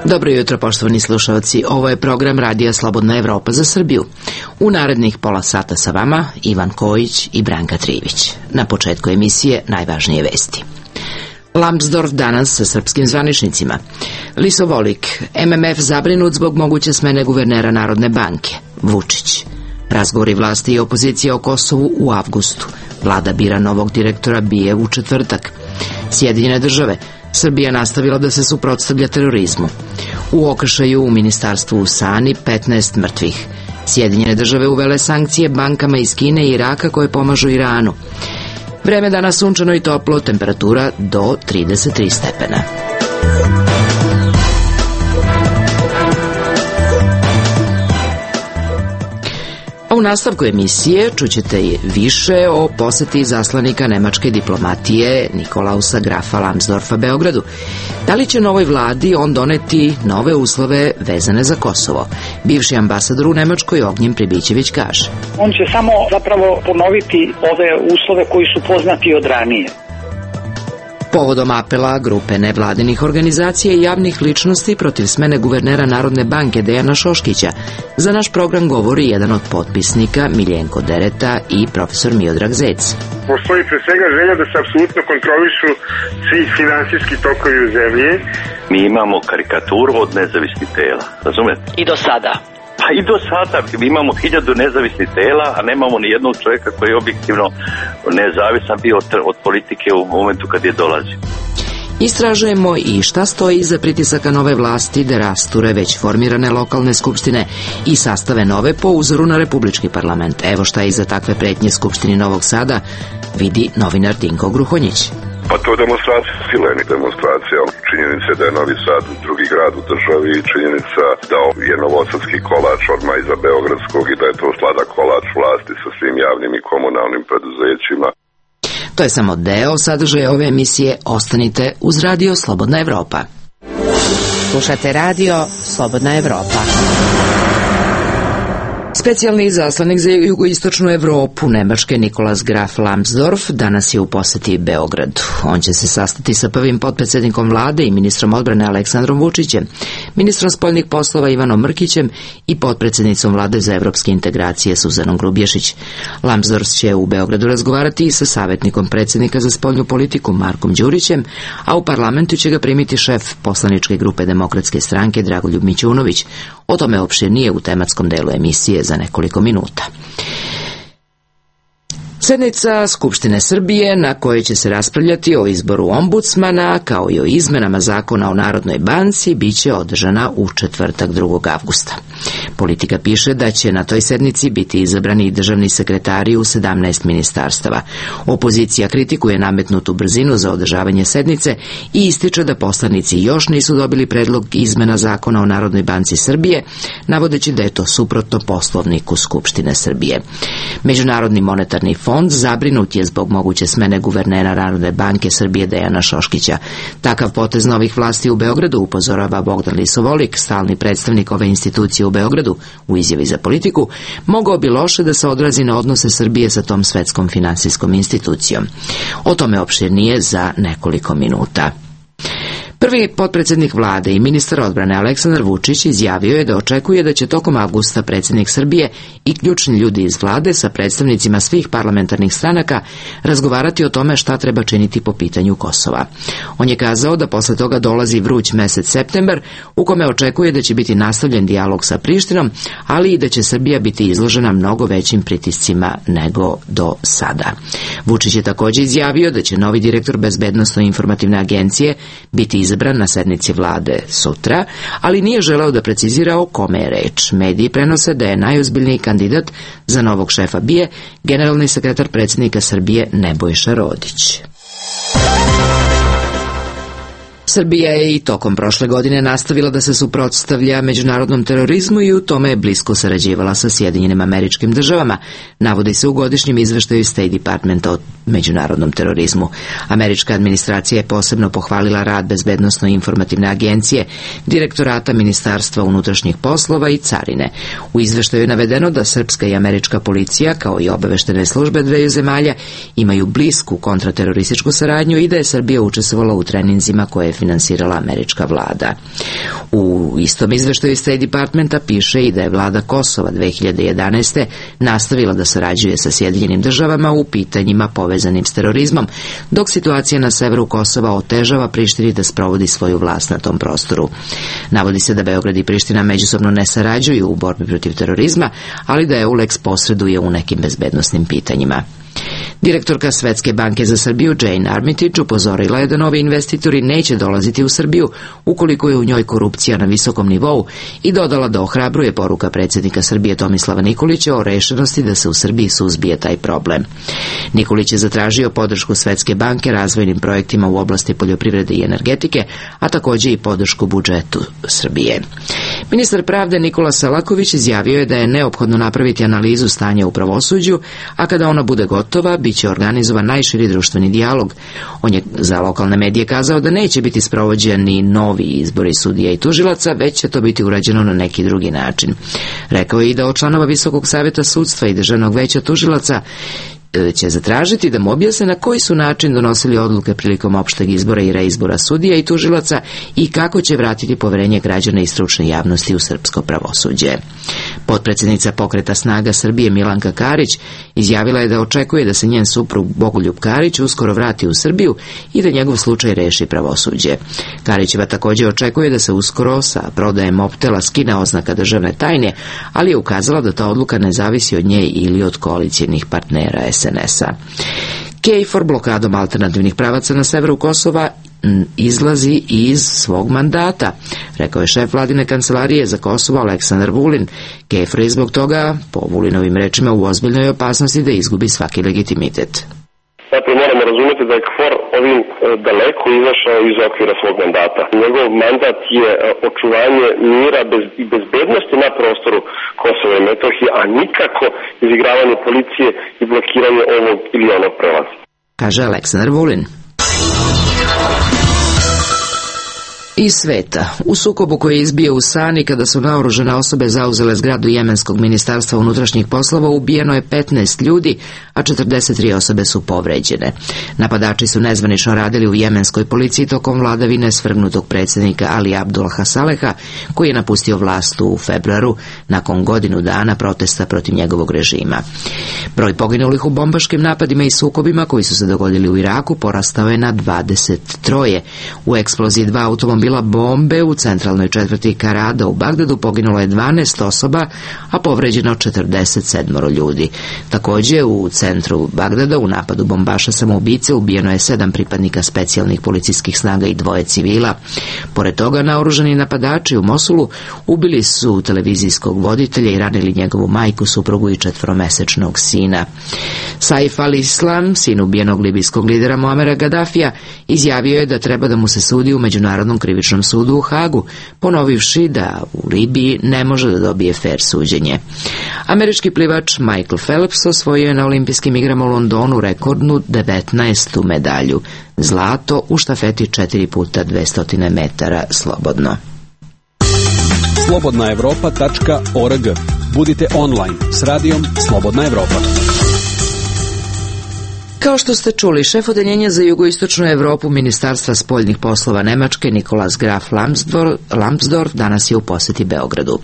Dobro jutro, poštovani slušalci. Ovo je program Radija Slobodna Evropa za Srbiju. U narednih pola sata sa vama Ivan Kojić i Branka Trivić. Na početku emisije najvažnije vesti. Lambsdorff danas sa srpskim zvaničnicima. Lisovolik, MMF zabrinut zbog moguće smene guvernera Narodne banke. Vučić. Razgovori vlasti i opozicije o Kosovu u avgustu. Vlada bira novog direktora BIA u četvrtak. Sjedinjene države. Srbija nastavila da se suprotstavlja terorizmu. U okršaju u ministarstvu u Sani 15 mrtvih. Sjedinjene države uvele sankcije bankama iz Kine i Iraka koje pomažu Iranu. Vreme danas sunčano i toplo, temperatura do 33 stepena. U nastavku emisije čućete više o poseti izaslanika nemačke diplomatije Nikolausa Grafa Lambsdorffa Beogradu. Da li će novoj vladi on doneti nove uslove vezane za Kosovo? Bivši ambasador u Nemačkoj Ognjen Pribićević kaže. On će samo zapravo ponoviti ove uslove koji su poznati od ranije. Povodom apela grupe nevladinih organizacija i javnih ličnosti protiv smene guvernera Narodne banke Dejana Šoškića, za naš program govori jedan od potpisnika Miljenko Dereta i profesor Miodrag Zec. Postoji pre svega želja da se apsolutno kontrolišu svi finansijski tokovi u zemlji. Mi imamo karikaturu od nezavisnih tela, razumete? I do sada. Pa i do sada, mi imamo 1000 nezavisnih tela, a nemamo ni jednog čovjeka koji je objektivno nezavisan bio od politike u momentu kad je dolazio. Istražujemo i šta stoji iza pritisaka nove vlasti da rasture već formirane lokalne skupštine i sastave nove po uzoru na republički parlament. Evo šta iza takve pretnje Skupštini Novog Sada vidi novinar Dinko Gruhonjić. Pa to je demonstracija, sileni demonstracija. Činjenica je da je Novi Sad drugi grad u državi i činjenica da je novosadski kolač odmah iza beogradskog i da je to sladak kolač vlasti sa svim javnim i komunalnim preduzećima. To je samo deo sadržaja ove emisije. Ostanite uz Radio Slobodna Evropa. Slušate Radio Slobodna Evropa. Specijalni izaslanik za jugoistočnu Evropu Nemačke Nikolaus Graf Lambsdorff danas je u poseti Beogradu. On će se sastati sa prvim potpredsjednikom vlade i ministrom odbrane Aleksandrom Vučićem, ministrom spoljnih poslova Ivanom Mrkićem i potpredsjednicom vlade za evropske integracije Suzanom Grubješić. Lambsdorff će u Beogradu razgovarati i sa savjetnikom predsjednika za spoljnu politiku Markom Đurićem, a u parlamentu će ga primiti šef poslaničke grupe Demokratske stranke Dragoljub Mićunović. O tome opširnije u tematskom delu emisije za nekoliko minuta. Sednica Skupštine Srbije na kojoj će se raspravljati o izboru ombudsmana kao i o izmenama zakona o Narodnoj banci biće održana u četvrtak 2. avgusta. Politika piše da će na toj sednici biti izabrani i državni sekretari u 17 ministarstava. Opozicija kritikuje nametnutu brzinu za održavanje sednice i ističe da poslanici još nisu dobili predlog izmena zakona o Narodnoj banci Srbije, navodeći da je to suprotno Poslovniku Skupštine Srbije. Međunarodni monetarni fond zabrinut je zbog moguće smene guvernera Narodne banke Srbije Dejana Šoškića. Takav potez novih vlasti u Beogradu, upozorava Bogdan Lisovolik, stalni predstavnik ove institucije u Beogradu, u izjavi za Politiku, mogao bi loše da se odrazi na odnose Srbije sa tom svetskom finansijskom institucijom. O tome opširnije za nekoliko minuta. Prvi potpredsjednik vlade i ministar odbrane Aleksandar Vučić izjavio je da očekuje da će tokom avgusta predsjednik Srbije i ključni ljudi iz vlade sa predstavnicima svih parlamentarnih stranaka razgovarati o tome šta treba činiti po pitanju Kosova. On je kazao da posle toga dolazi vruć mesec septembar u kome očekuje da će biti nastavljen dijalog sa Prištinom, ali i da će Srbija biti izložena mnogo većim pritiscima nego do sada. Vučić je također izjavio da će novi direktor Bezbednosno-informativne agencije biti izabran na sednici vlade sutra, ali nije želeo da precizira o kome je reč. Mediji prenose da je najozbiljniji kandidat za novog šefa BIA generalni sekretar predsjednika Srbije Nebojša Rodić. Srbija je i tokom prošle godine nastavila da se suprotstavlja međunarodnom terorizmu i u tome je blisko sarađivala sa Sjedinjenim Američkim Državama, navodi se u godišnjem izveštaju State Departmenta o međunarodnom terorizmu. Američka administracija je posebno pohvalila rad Bezbednosno-informativne agencije, Direktorata Ministarstva unutrašnjih poslova i Carine. U izveštaju je navedeno da srpska i američka policija, kao i obaveštene službe dveju zemalja, imaju blisku kontraterorističku saradnju i da je Srbija učestvovala u treninzima koje je finansirala američka vlada. U istom izveštaju State Departmenta piše i da je vlada Kosova 2011. nastavila da sarađuje sa Sjedinjenim državama u pitanjima povezanim s terorizmom, dok situacija na severu Kosova otežava Prištini da sprovodi svoju vlast na tom prostoru. Navodi se da Beograd i Priština međusobno ne sarađuju u borbi protiv terorizma, ali da EULEX posreduje u nekim bezbednosnim pitanjima. Direktorka Svetske banke za Srbiju Jane Armitage upozorila je da novi investitori neće dolaziti u Srbiju ukoliko je u njoj korupcija na visokom nivou i dodala da ohrabruje poruka predsjednika Srbije Tomislava Nikolića o rešenosti da se u Srbiji suzbije taj problem. Nikolić je zatražio podršku Svetske banke razvojnim projektima u oblasti poljoprivrede i energetike, a također i podršku budžetu Srbije. Ministar pravde Nikola Selaković izjavio je da je neophodno napraviti analizu stanja u pravosuđu, a kada ona bude gotova, bit će organizovan najširi društveni dijalog. On je za lokalne medije kazao da neće biti sprovođeni novi izbori sudija i tužilaca, već će to biti urađeno na neki drugi način. Rekao je i da od članova Visokog saveta sudstva i Državnog veća tužilaca će zatražiti da mu objasne na koji su način donosili odluke prilikom opšteg izbora i reizbora sudija i tužilaca i kako će vratiti poverenje građana i stručne javnosti u srpsko pravosuđe. Potpredsjednica Pokreta snaga Srbije Milanka Karić izjavila je da očekuje da se njen suprug Bogoljub Karić uskoro vrati u Srbiju i da njegov slučaj reši pravosuđe. Karićeva također očekuje da se uskoro sa prodajem Mobtela skine oznaka državne tajne, ali je ukazala da ta odluka ne zavisi od nje ili od koalicijnih partnera SNS-a. KFOR blokadom alternativnih pravaca na severu Kosova izlazi iz svog mandata, rekao je šef vladine kancelarije za Kosovo Aleksandar Vulin. KFOR je zbog toga, po Vulinovim rečima, u ozbiljnoj opasnosti da izgubi svaki legitimitet. Dakle, moramo razumjeti da je KFOR ovim daleko izašao iz okvira svog mandata. Njegov mandat je očuvanje mira i bezbednosti na prostoru Kosova i Metohije, a nikako izigravanje policije i blokiranje ovog ili onog prelaza, kaže Aleksandar Vulin. Iz sveta. U sukobu koji je izbio u Sani kada su naoružane osobe zauzele zgradu Jemenskog ministarstva unutrašnjih poslova ubijeno je 15 ljudi, a 43 osobe su povređene. Napadači su nezvanično radili u jemenskoj policiji tokom vladavine svrgnutog predsjednika Ali Abdulaha Saleha, koji je napustio vlast u februaru nakon godinu dana protesta protiv njegovog režima. Broj poginulih u bombaškim napadima i sukobima koji su se dogodili u Iraku porastao je na 23. U eksploziji 2 automobila bombe u centralnoj četvrti Karada u Bagdadu poginulo je 12 osoba, a povređeno 47 ljudi. Također u centru Bagdada u napadu bombaša samoubice ubijeno je 7 pripadnika specijalnih policijskih snaga i 2 civila. Pored toga, naoružani napadači u Mosulu ubili su televizijskog voditelja i ranili njegovu majku, suprugu i 4-mesečnog sina. Saif al-Islam, sin ubijenog libijskog lidera Muamera Gaddafija, izjavio je da treba da mu se sudi u Međunarodnom krivičnom sudu u Hagu, ponovivši da u Libiji ne može da dobije fer suđenje. Američki plivač Michael Phelps osvojio je na olimpijskim igrama u Londonu rekordnu 19. medalju, zlato u štafeti 4x200 metara slobodno. Slobodnaevropa.org. Budite online s radijom Slobodna Evropa. Kao što ste čuli, šef odeljenja za jugoistočnu Evropu Ministarstva spoljnih poslova Nemačke Nikolaus Graf Lambsdorff danas je u posjeti Beogradu.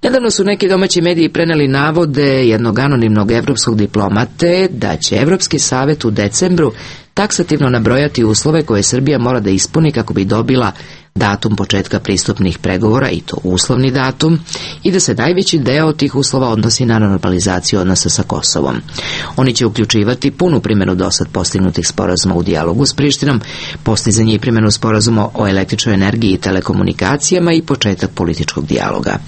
Nedavno su neki domaći mediji preneli navode jednog anonimnog evropskog diplomate da će Evropski savet u decembru taksativno nabrojati uslove koje Srbija mora da ispuni kako bi dobila datum početka pristupnih pregovora, i to uslovni datum, i da se najveći deo tih uslova odnosi na normalizaciju odnosa sa Kosovom. Oni će uključivati punu primjenu dosad postignutih sporazuma u dijalogu s Prištinom, postizanje i primjenu sporazuma o električnoj energiji i telekomunikacijama i početak političkog dijaloga.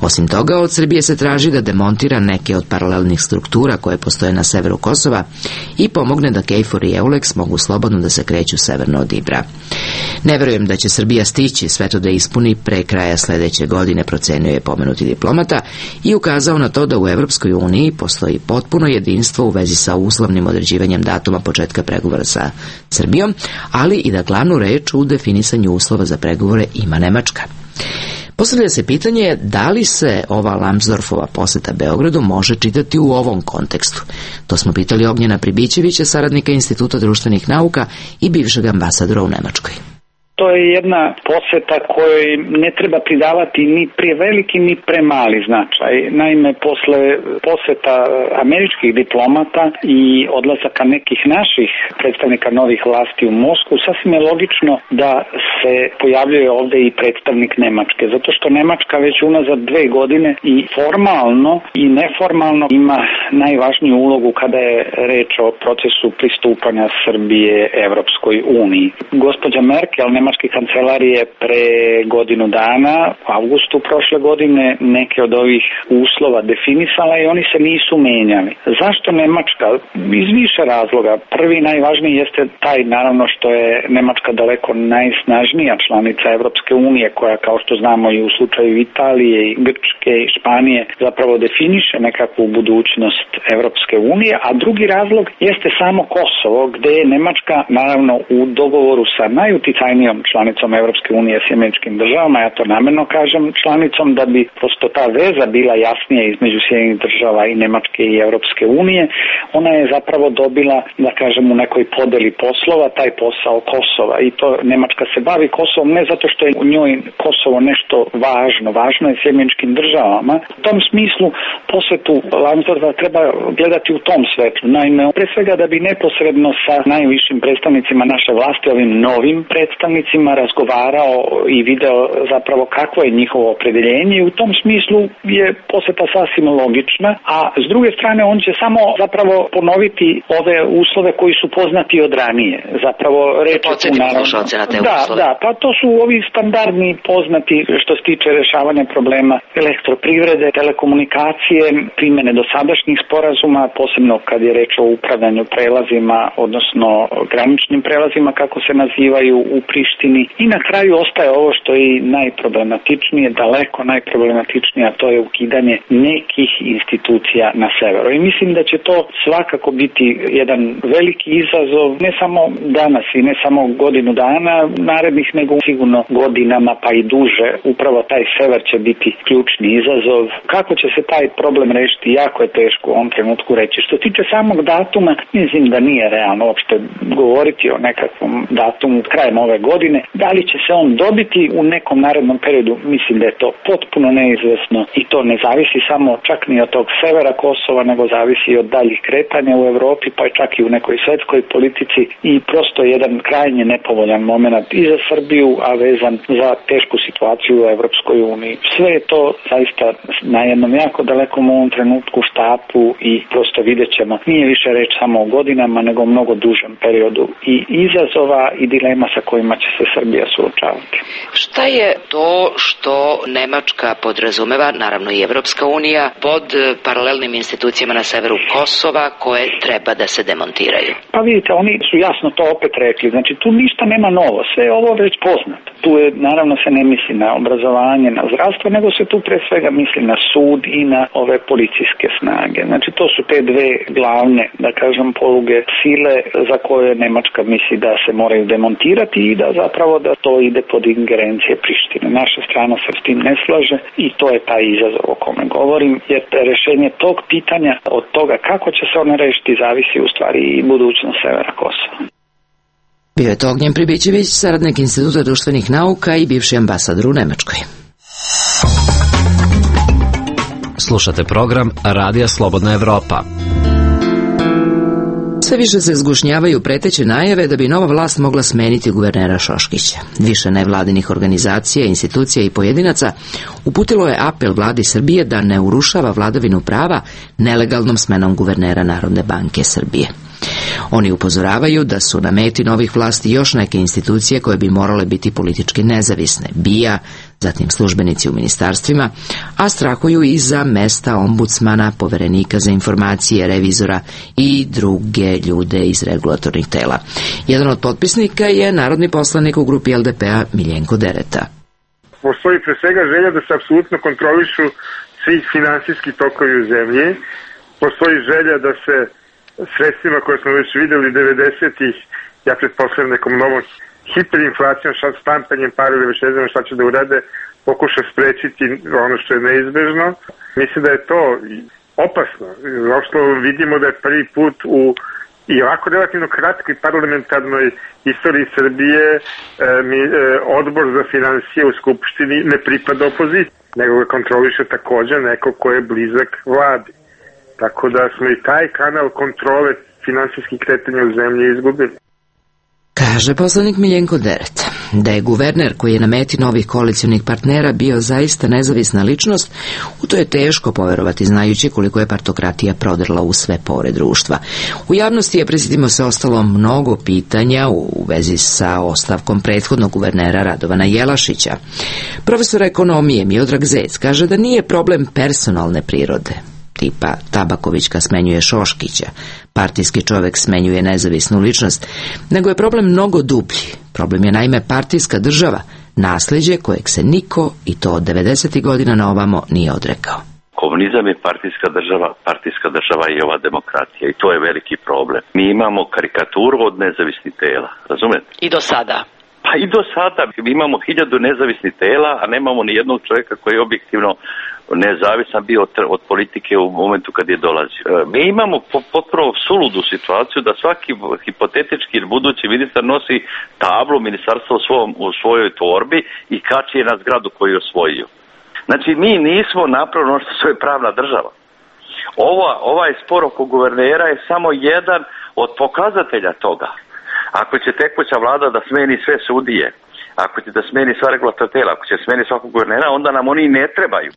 Osim toga, od Srbije se traži da demontira neke od paralelnih struktura koje postoje na severu Kosova i pomogne da KFOR i EULEX mogu slobodno da se kreću severno od Ibra. Ne verujem da će Srbija stići sve to da ispuni pre kraja sljedeće godine, procenio je pomenuti diplomata i ukazao na to da u Evropskoj uniji postoji potpuno jedinstvo u vezi sa uslovnim određivanjem datuma početka pregovora sa Srbijom, ali i da glavnu reč u definisanju uslova za pregovore ima Nemačka. Postavlja se pitanje da li se ova Lambsdorffova posjeta Beogradu može čitati u ovom kontekstu. To smo pitali Ognjena Pribićevića, saradnika Instituta društvenih nauka i bivšeg ambasadora u Nemačkoj. To je jedna poseta kojoj ne treba pridavati ni preveliki ni premali značaj. Naime, posle poseta američkih diplomata i odlazaka nekih naših predstavnika novih vlasti u Moskvu, sasvim je logično da se pojavljuje ovde i predstavnik Nemačke, zato što Nemačka već unazad 2 godine i formalno i neformalno ima najvažniju ulogu kada je reč o procesu pristupanja Srbije Evropskoj uniji. Gospođa Merkel, nemački kancelar, je pre godinu dana, u avgustu prošle godine, neke od ovih uslova definisala i oni se nisu menjali. Zašto Nemačka? Iz više razloga. Prvi, najvažniji jeste taj, naravno, što je Nemačka daleko najsnažnija članica Evropske unije, koja, kao što znamo i u slučaju Italije i Grčke i Španije, zapravo definiše nekakvu budućnost Evropske unije, a drugi razlog jeste samo Kosovo, gde je Nemačka, naravno, u dogovoru sa najuticajnijom članicom Evropske unije, Sjedinjenim državama, ja to namerno kažem članicom, da bi prosto ta veza bila jasnija između Sjedinjenih država i Nemačke i Evropske unije, ona je zapravo dobila, da kažem, u nekoj podeli poslova taj posao Kosova, i to Nemačka se bavi Kosovom ne zato što je u njoj Kosovo nešto važno je Sjedinjenim državama. U tom smislu posetu Lansdorfa treba gledati u tom svetlu. Naime, pre svega da bi neposredno sa najvišim predstavnicima naše vlasti, ovim novim predstavnicima, razgovarao i video zapravo kakvo je njihovo opredeljenje, i u tom smislu je poseta sasvim logična, a s druge strane on će samo zapravo ponoviti ove uslove koji su poznati od ranije. Zapravo reč je tu naravno. Da, pa to su ovi standardni poznati što se tiče rešavanja problema elektroprivrede, telekomunikacije, primjene dosadašnjih sporazuma, posebno kad je reč o upravljanju prelazima, odnosno graničnim prelazima kako se nazivaju u Prištini, i na kraju ostaje ovo što je najproblematičnije, daleko najproblematičnije, a to je ukidanje nekih institucija na severu. I mislim da će to svakako biti jedan veliki izazov, ne samo danas i ne samo godinu dana narednih, nego sigurno godinama pa i duže. Upravo taj sever će biti ključni izazov. Kako će se taj problem rešiti, jako je teško u ovom trenutku reći. Što tiče samog datuma, mislim da nije realno uopšte govoriti o nekakvom datumu krajem ove godine. Da li će se on dobiti u nekom narednom periodu, mislim da je to potpuno neizvesno, i to ne zavisi samo čak ni od tog severa Kosova, nego zavisi i od daljih kretanja u Evropi, pa čak i u nekoj svetskoj politici, i prosto jedan krajnje nepovoljan moment i za Srbiju, a vezan za tešku situaciju u Evropskoj uniji. Sve je to zaista na jednom jako dalekom u ovom trenutku štapu i prosto vidjet ćemo. Nije više reč samo o godinama, nego o mnogo dužem periodu i izazova i dilema sa kojima će se Srbija suočavati. Šta je to što Nemačka podrazumeva, naravno i Evropska unija, pod paralelnim institucijama na severu Kosova koje treba da se demontiraju? Pa vidite, oni su jasno to opet rekli. Znači, tu ništa nema novo. Sve je ovo već poznato. Tu je, naravno, se ne misli na obrazovanje, na zdravstvo, nego se tu pre svega misli na sud i na ove policijske snage. Znači, to su te dve glavne, da kažem, poluge sile za koje Nemačka misli da se moraju demontirati i da zapravo da to ide pod ingerencije Prištine. Naša strana se s tim ne slaže i to je taj izazov o kome govorim, jer rešenje tog pitanja od toga kako će se ono rešiti zavisi u stvari i budućnost severa Kosova. Bio je to Ognjen Pribićević, saradnik Instituta društvenih nauka i bivši ambasador u Nemačkoj. Slušate program Radija Slobodna Evropa. Sve više se zgušnjavaju preteće najave da bi nova vlast mogla smeniti guvernera Šoškića. Više nevladinih organizacija, institucija i pojedinaca uputilo je apel vladi Srbije da ne urušava vladavinu prava nelegalnom smenom guvernera Narodne banke Srbije. Oni upozoravaju da su na meti novih vlasti još neke institucije koje bi morale biti politički nezavisne, BIA, zatim službenici u ministarstvima, a strahuju i za mesta ombudsmana, poverenika za informacije, revizora i druge ljude iz regulatornih tela. Jedan od potpisnika je narodni poslanik u grupi LDP-a Miljenko Dereta. Postoji pre svega želja da se apsolutno kontrolišu svi finansijski tokovi u zemlji. Postoji želja da se sredstvima koje smo već videli 90-ih, ja pretpostavljam nekom novom hiperinflacijom, štampanjem para ili već ne znam šta će da urade, pokuša sprečiti ono što je neizbežno. Mislim da je to opasno. Uopšte vidimo da je prvi put u I ovako relativno kratkoj parlamentarnoj istoriji Srbije odbor za finansije u Skupštini ne pripada opoziciji, nego ga kontroliše takođe neko ko je blizak vladi. Tako da smo i taj kanal kontrole finansijskih kretanja u zemlji izgubili. Kaže poslanik Miljenko Deret. Da je guverner koji je na meti novih koalicionih partnera bio zaista nezavisna ličnost, u to je teško poverovati znajući koliko je partokratija prodrla u sve pore društva. U javnosti je, prisjetimo se, ostalo mnogo pitanja u vezi sa ostavkom prethodnog guvernera Radovana Jelašića. Profesor ekonomije Miodrag Zec kaže da nije problem personalne prirode, tipa Tabakovićka smenjuje Šoškića, partijski čovek smenjuje nezavisnu ličnost, nego je problem mnogo dublji. Problem je naime partijska država, nasleđe kojeg se niko, i to od 90. godina na ovamo, nije odrekao. Komunizam je partijska država i ova demokracija i to je veliki problem. Mi imamo karikaturu od nezavisnih tela, razumete? I do sada. Pa i do sada imamo 1000 nezavisnih tela, a nemamo ni jednog čovjeka koji je objektivno nezavisan bio od politike u momentu kad je dolazio. Mi imamo potpuno suludu situaciju da svaki hipotetički ili budući ministar nosi tablu ministarstva u svojoj torbi i kači je na zgradu koju je osvojio. Znači mi nismo napravili ono što je pravna država. Ovaj spor oko guvernera je samo jedan od pokazatelja toga. Ako će tekuća vlada da smeni sve sudije, ako će da smeni sva regulatorna tela, ako će smeni svakog guvernera, onda nam oni ne trebaju.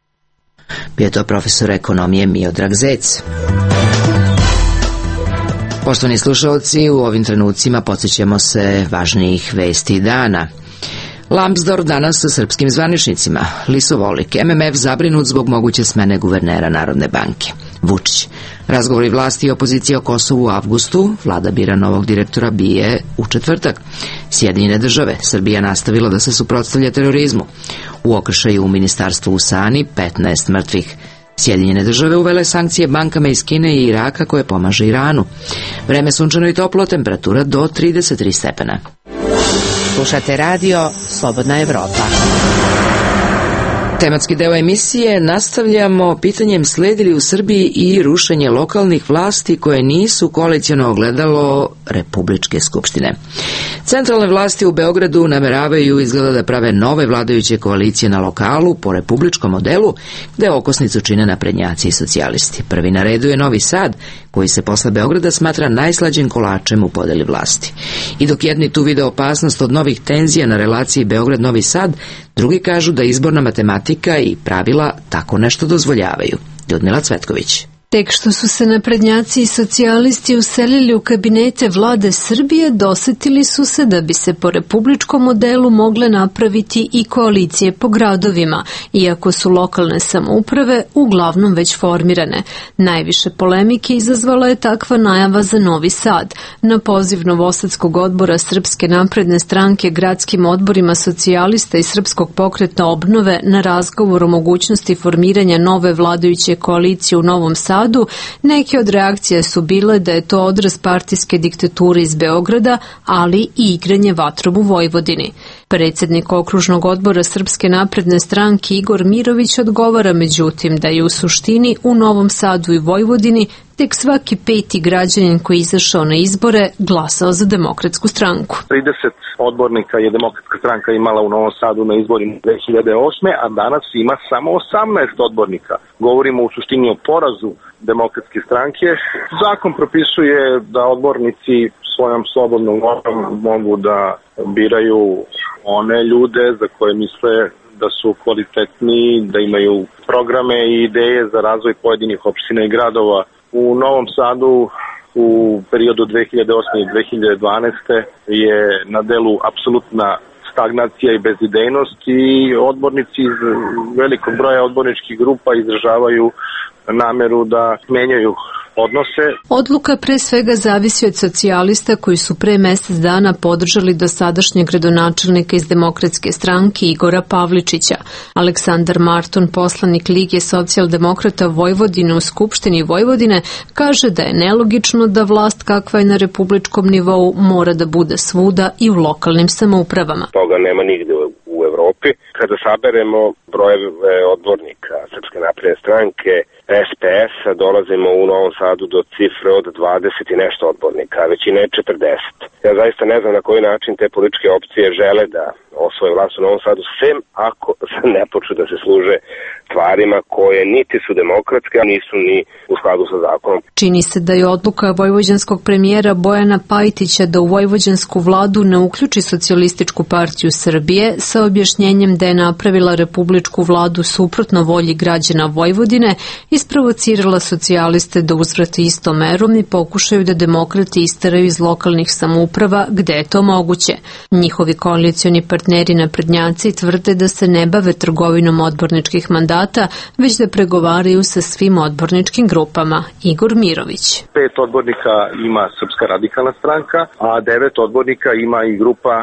Bio je to profesor ekonomije Miodrag Zec. Poštovani slušalci, u ovim trenucima podsjećamo se važnijih vesti dana. Lambsdorff danas sa srpskim zvaničnicima. Lisovolik, MMF zabrinut zbog moguće smene guvernera Narodne banke. Vučić. Razgovori vlasti i opozicije o Kosovu u avgustu. Vlada bira novog direktora BIA u četvrtak. Sjedinjene države. Srbija nastavila da se suprotstavlja terorizmu. U okršaju u ministarstvu u Sani 15 mrtvih. Sjedinjene države uvele sankcije bankama iz Kine i Iraka koje pomaže Iranu. Vreme sunčano i toplo, temperatura do 33 stepena. Slušate radio Slobodna Evropa. Tematski deo emisije nastavljamo pitanjem sledi li u Srbiji i rušenje lokalnih vlasti koje nisu koaliciono ogledalo Republičke skupštine. Centralne vlasti u Beogradu nameravaju izgleda da prave nove vladajuće koalicije na lokalu po republičkom modelu, gde okosnicu čine naprednjaci i socijalisti. Prvi na redu je Novi Sad, koji se posle Beograda smatra najslađim kolačem u podeli vlasti. I dok jedni tu vide opasnost od novih tenzija na relaciji Beograd-Novi Sad, drugi kažu da izborna matematika i pravila tako nešto dozvoljavaju. Ljudmila Cvetković. Tek što su se naprednjaci i socijalisti uselili u kabinete vlade Srbije, dosetili su se da bi se po republičkom modelu mogle napraviti i koalicije po gradovima, iako su lokalne samouprave uglavnom već formirane. Najviše polemike izazvala je takva najava za Novi Sad. Na poziv Novosadskog odbora Srpske napredne stranke gradskim odborima socijalista i Srpskog pokreta obnove na razgovor o mogućnosti formiranja nove vladajuće koalicije u Novom Sadu, neke od reakcija su bile da je to odraz partijske diktature iz Beograda, ali i igranje vatrom u Vojvodini. Predsjednik okružnog odbora Srpske napredne stranke Igor Mirović odgovara međutim da je u suštini u Novom Sadu i Vojvodini tek svaki peti građanin koji je izašao na izbore glasao za Demokratsku stranku. 30 odbornika je Demokratska stranka imala u Novom Sadu na izborima 2008. a danas ima samo 18 odbornika. Govorimo u suštini o porazu Demokratske stranke. Zakon propisuje da odbornici svojom slobodnom voljom mogu da biraju one ljude za koje misle da su kvalitetni, da imaju programe i ideje za razvoj pojedinih opština i gradova. U Novom Sadu u periodu 2008. i 2012. je na delu apsolutna stagnacija i bezidejnost i odbornici iz velikog broja odborničkih grupa izražavaju nameru da menjaju odnose. Odluka pre svega zavisi od socijalista koji su pre mesec dana podržali dosadašnjeg gradonačelnika iz Demokratske stranke Igora Pavličića. Aleksandar Marton, poslanik Lige socijaldemokrata Vojvodine u Skupštini Vojvodine, kaže da je nelogično da vlast kakva je na republičkom nivou mora da bude svuda i u lokalnim samoupravama. Toga nema nigde u Evropi. Kada saberemo brojeve odbornika Srpske napredne stranke, SPS-a, dolazimo u Novom Sadu do cifre od 20 i nešto odbornika, a većina je 40. Ja zaista ne znam na koji način te političke opcije žele da osvoje vlast u Novom Sadu, sem ako ne počnu da se služe stvarima koje niti su demokratske, a nisu ni u skladu sa zakonom. Čini se da je odluka vojvođanskog premijera Bojana Pajtića da u vojvođansku vladu ne uključi Socijalističku partiju Srbije sa objašnjenjem da je napravila republičku vladu suprotno volji građana Vojvodine isprovocirala socijaliste da uzvrate istom merom i pokušaju da demokrati isteraju iz lokalnih samouprava gde je to moguće. Njihovi koalicioni partneri naprednjaci tvrde da se ne bave trgovinom odborničkih mandata, već da pregovaraju sa svim odborničkim grupama. Igor Mirović. 5 odbornika ima Srpska radikalna stranka, a 9 odbornika ima i grupa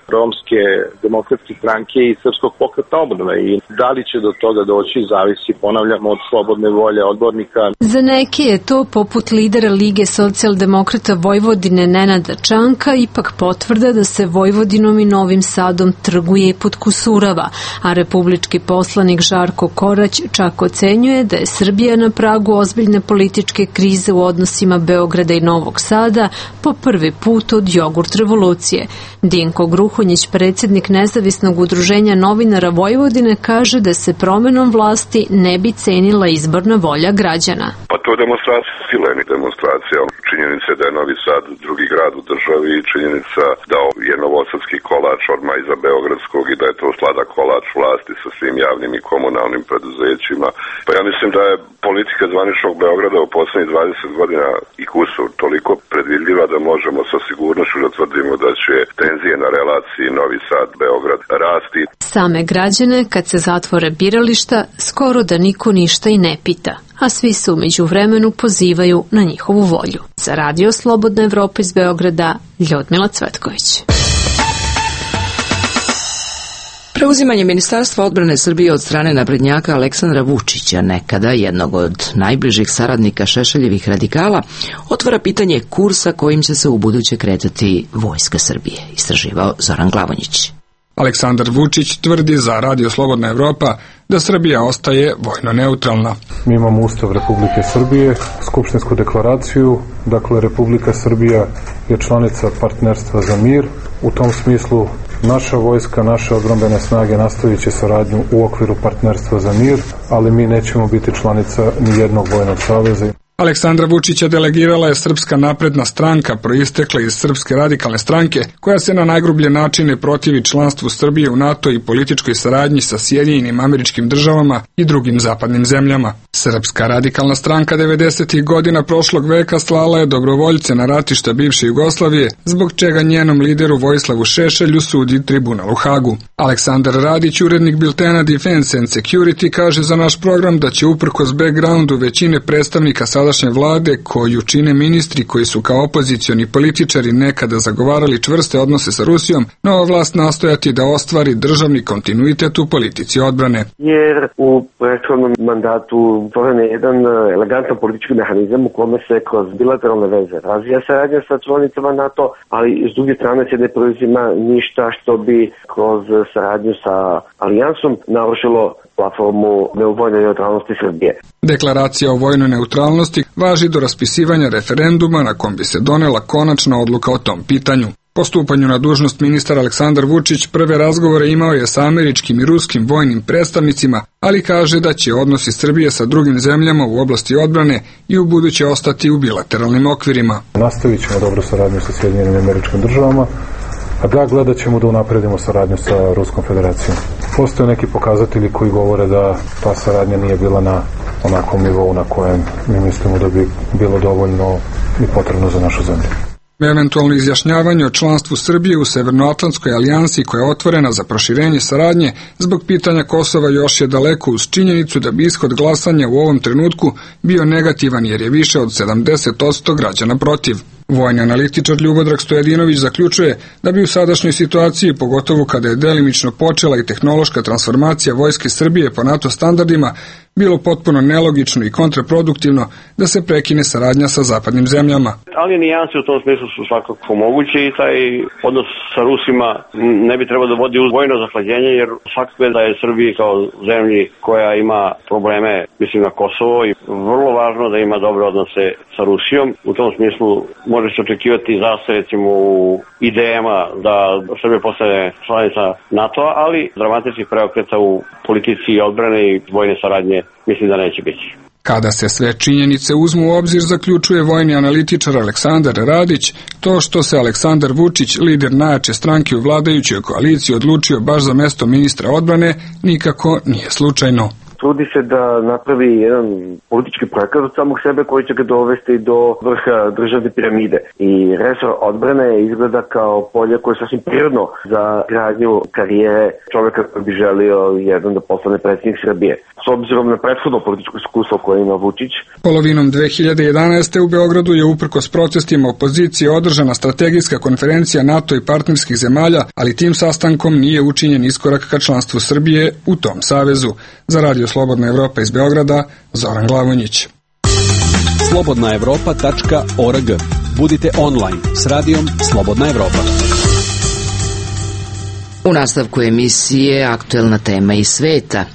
Romske demokratske stranke i Srpskog pokreta obnove. I da li će do toga doći, zavisi, ponavljamo, od slobodne volje odbornika. Za neke je to, poput lidera Lige socijaldemokrata Vojvodine Nenada Čanka, ipak potvrda da se Vojvodinom i Novim Sadom trguje i podkusurava, a republički poslanik Žarko Korać čak ocenjuje da je Srbija na pragu ozbiljne političke krize u odnosima Beograda i Novog Sada po prvi put od jogurt revolucije. Dinko Gruhonjić, predsjednik Nezavisnog udruženja novinara Vojvodine, kaže da se promenom vlasti ne bi cenila izborna volja građana. Pa to je demonstracija sile, demonstracija. Činjenica je da je Novi Sad drugi grad u državi i činjenica da je novosadski kolač odmah iza beogradskog i da je to sladak kolač vlasti sa svim javnim i komunalnim preduzećima. Pa ja mislim da je politika zvaničnog Beograda u poslednjih 20 godina i kusur toliko predvidljiva da možemo sa sigurnošću da tvrdimo da će tenzije na relaciji Novi Sad-Beograd rasti. Same građane, kad se zatvore birališta, skoro da niko ništa i ne pita, a svi se umeđu vremenu pozivaju na njihovu volju. Za Radio Slobodna Evropa iz Beograda, Ljudmila Cvetković. Preuzimanje Ministarstva odbrane Srbije od strane naprednjaka Aleksandra Vučića, nekada jednog od najbližih saradnika Šešeljevih radikala, otvara pitanje kursa kojim će se u buduće kretati Vojska Srbije, istraživao Zoran Glavonjić. Aleksandar Vučić tvrdi za Radio Slobodna Evropa da Srbija ostaje vojno neutralna. Mi imamo Ustav Republike Srbije, Skupštinsku deklaraciju, dakle Republika Srbija je članica Partnerstva za mir. U tom smislu naša vojska, naše odbrambene snage nastavit će saradnju u okviru Partnerstva za mir, ali mi nećemo biti članica ni jednog vojnog saveza. Aleksandra Vučića delegirala je Srpska napredna stranka, proistekla iz Srpske radikalne stranke, koja se na najgrublje načine protivi članstvu Srbije u NATO i političkoj saradnji sa Sjedinjenim Američkim Državama i drugim zapadnim zemljama. Srpska radikalna stranka 90. godina prošlog veka slala je dobrovoljce na ratišta bivše Jugoslavije, zbog čega njenom lideru Vojislavu Šešelju sudi tribunal u Hagu. Aleksandar Radić, urednik biltena Defense and Security, kaže za naš program da će uprkos backgroundu većine predstavnika sadašnje vlade, koju čine ministri koji su kao opozicioni političari nekada zagovarali čvrste odnose sa Rusijom, nova vlast nastojati da ostvari državni kontinuitet u politici odbrane. Jer u prethodnom mandatu stvoren je jedan elegantan politički mehanizam u kome se kroz bilateralne veze razvija saradnja sa članicama NATO, ali s druge strane se ne preuzima ništa što bi kroz saradnju sa alijansom narušilo platformu vojne neutralnosti Srbije. Deklaracija o vojnoj neutralnosti važi do raspisivanja referenduma na kom bi se donela konačna odluka o tom pitanju. Po stupanju na dužnost ministar Aleksandar Vučić prve razgovore imao je sa američkim i ruskim vojnim predstavnicima, ali kaže da će odnosi Srbije sa drugim zemljama u oblasti odbrane i u buduće ostati u bilateralnim okvirima. Nastavit ćemo dobru saradnju sa Sjedinjenim Američkim Državama, a da gledat ćemo da unapredimo saradnju sa Ruskom federacijom. Postoje neki pokazatelji koji govore da ta saradnja nije bila na onakvom nivou na kojem mi mislimo da bi bilo dovoljno i potrebno za našu zemlju. Eventualno izjašnjavanje o članstvu Srbije u Severnoatlantskoj alijansi koja je otvorena za proširenje saradnje zbog pitanja Kosova još je daleko uz činjenicu da bi ishod glasanja u ovom trenutku bio negativan jer je više od 70% građana protiv. Vojni analitičar Ljubodrag Stojadinović zaključuje da bi u sadašnjoj situaciji, pogotovo kada je delimično počela i tehnološka transformacija Vojske Srbije po NATO standardima, bilo potpuno nelogično i kontraproduktivno da se prekine saradnja sa zapadnim zemljama. Ali nijanse u tom smislu su svakako moguće i taj odnos sa Rusima ne bi trebao da vodi uz vojno zahlađenje, jer svakako je da je Srbiji kao zemlji koja ima probleme, mislim na Kosovo, i vrlo važno da ima dobre odnose sa Rusijom. U tom smislu može se očekivati zastoj recimo u idejama da Srbija postane članica NATO-a, ali dramatičnih preokreta u politici odbrane i vojne saradnje mislim da neće biti. Kada se sve činjenice uzmu u obzir, zaključuje vojni analitičar Aleksandar Radić, to što se Aleksandar Vučić, lider najjače stranke u vladajućoj koaliciji, odlučio baš za mesto ministra odbrane, nikako nije slučajno. Trudi se da napravi jedan politički projekat od samog sebe koji će ga dovesti do vrha državne piramide. I resor odbrane izgleda kao polje koje je sasvim prirodno za gradnju karijere čovjeka koji bi želio jedan da postane predsjednik Srbije. S obzirom na prethodno političko iskustvo koje ima Vučić. Polovinom 2011. u Beogradu je uprkos protestima opozicije održana strategijska konferencija NATO i partnerskih zemalja, ali tim sastankom nije učinjen iskorak ka članstvu Srbije u tom savezu. Za Radio Slobodna Evropa iz Beograda, Zoran Glavonjić. slobodnaevropa.org. Budite online s radijom Slobodna Evropa. U nastavku emisije aktuelna tema iz sveta.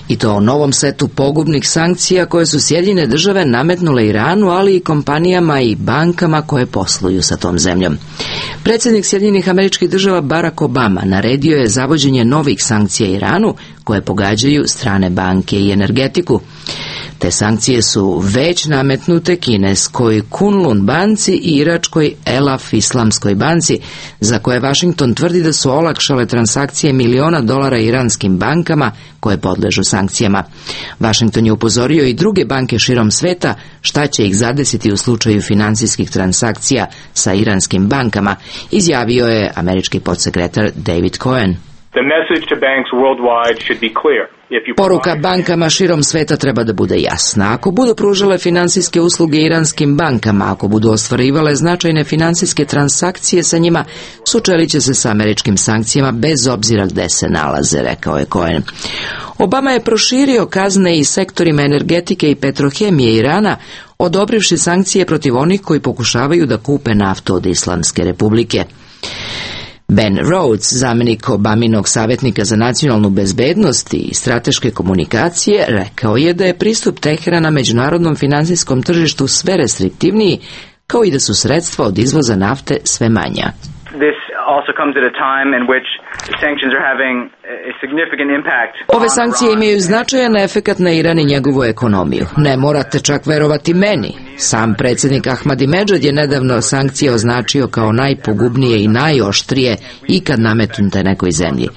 I to o novom setu pogubnih sankcija koje su Sjedinjene države nametnule Iranu, ali i kompanijama i bankama koje posluju sa tom zemljom. Predsjednik Sjedinjenih Američkih Država Barack Obama naredio je zavođenje novih sankcija Iranu koje pogađaju strane banke i energetiku. Te sankcije su već nametnute kineskoj Kunlun banci i iračkoj Elaf Islamskoj banci, za koje Washington tvrdi da su olakšale transakcije miliona dolara iranskim bankama koje podležu sankcijama. Washington je upozorio i druge banke širom sveta šta će ih zadesiti u slučaju finansijskih transakcija sa iranskim bankama, izjavio je američki podsekretar David Cohen. Poruka bankama širom sveta treba da bude jasna. Ako budu pružale finansijske usluge iranskim bankama, ako budu ostvarivale značajne finansijske transakcije sa njima, sučelit će se sa američkim sankcijama bez obzira gde se nalaze, rekao je Cohen. Obama je proširio kazne i sektorima energetike i petrohemije Irana, odobrivši sankcije protiv onih koji pokušavaju da kupe naftu od Islamske republike. Ben Rhodes, zamjenik Obaminog savjetnika za nacionalnu bezbednost i strateške komunikacije, rekao je da je pristup Teherana međunarodnom finansijskom tržištu sve restriktivniji, kao i da su sredstva od izvoza nafte sve manja. Ove sankcije imaju značajan efekat na Iran i njegovu ekonomiju. Ne morate čak verovati meni. Sam predsjednik Ahmadinedžad je nedavno sankcije označio kao najpogubnije i najoštrije ikad nametnute nekoj zemlji.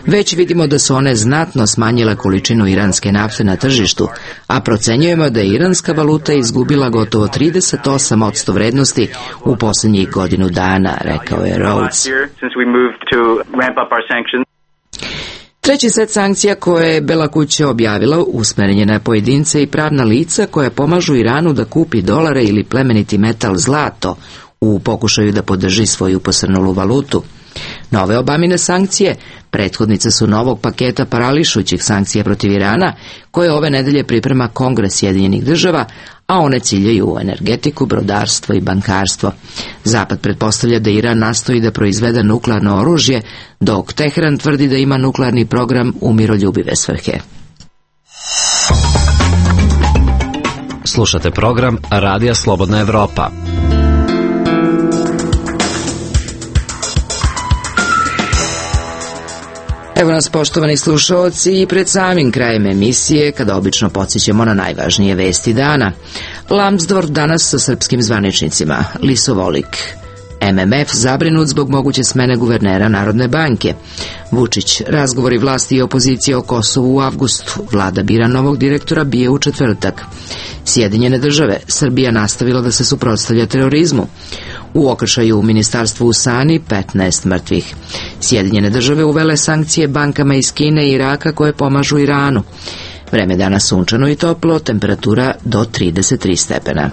Već vidimo da su one znatno smanjile količinu iranske nafte na tržištu, a procenjujemo da je iranska valuta izgubila gotovo 38% vrednosti u posljednjih godinu dana, rekao je Rhodes. Treći set sankcija koje je Bela kuća objavila usmeren je na pojedince i pravna lica koja pomažu Iranu da kupi dolare ili plemeniti metal zlato u pokušaju da podrži svoju posrnulu valutu. Nove Obamine sankcije prethodnice su novog paketa parališućih sankcija protiv Irana koje ove nedelje priprema Kongres Sjedinjenih država, a one ciljaju u energetiku, brodarstvo i bankarstvo. Zapad pretpostavlja da Iran nastoji da proizvede nuklearno oružje, dok Teheran tvrdi da ima nuklearni program u miroljubive svrhe. Slušate program Radija Slobodna Evropa. Evo nas, poštovani slušalci, i pred samim krajem emisije, kada obično podsjećamo na najvažnije vesti dana. Lambsdorff danas sa srpskim zvaničnicima, Lisovolik. MMF zabrinut zbog moguće smene guvernera Narodne banke. Vučić, razgovori vlasti i opozicije o Kosovu u avgustu. Vlada bira novog direktora BIA u četvrtak. Sjedinjene države, Srbija nastavila da se suprotstavlja terorizmu. U okršaju u ministarstvu u Sani 15 mrtvih. Sjedinjene države uvele sankcije bankama iz Kine i Iraka koje pomažu Iranu. Vreme dana sunčano i toplo, temperatura do 33 stepena.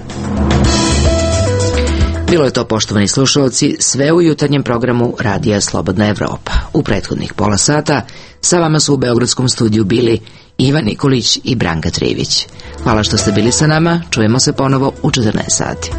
Bilo je to, poštovani slušalci, sve u jutarnjem programu Radija Slobodna Evropa. U prethodnih pola sata sa vama su u Beogradskom studiju bili Ivan Nikolić i Branka Trivić. Hvala što ste bili sa nama, čujemo se ponovo u 14 sati.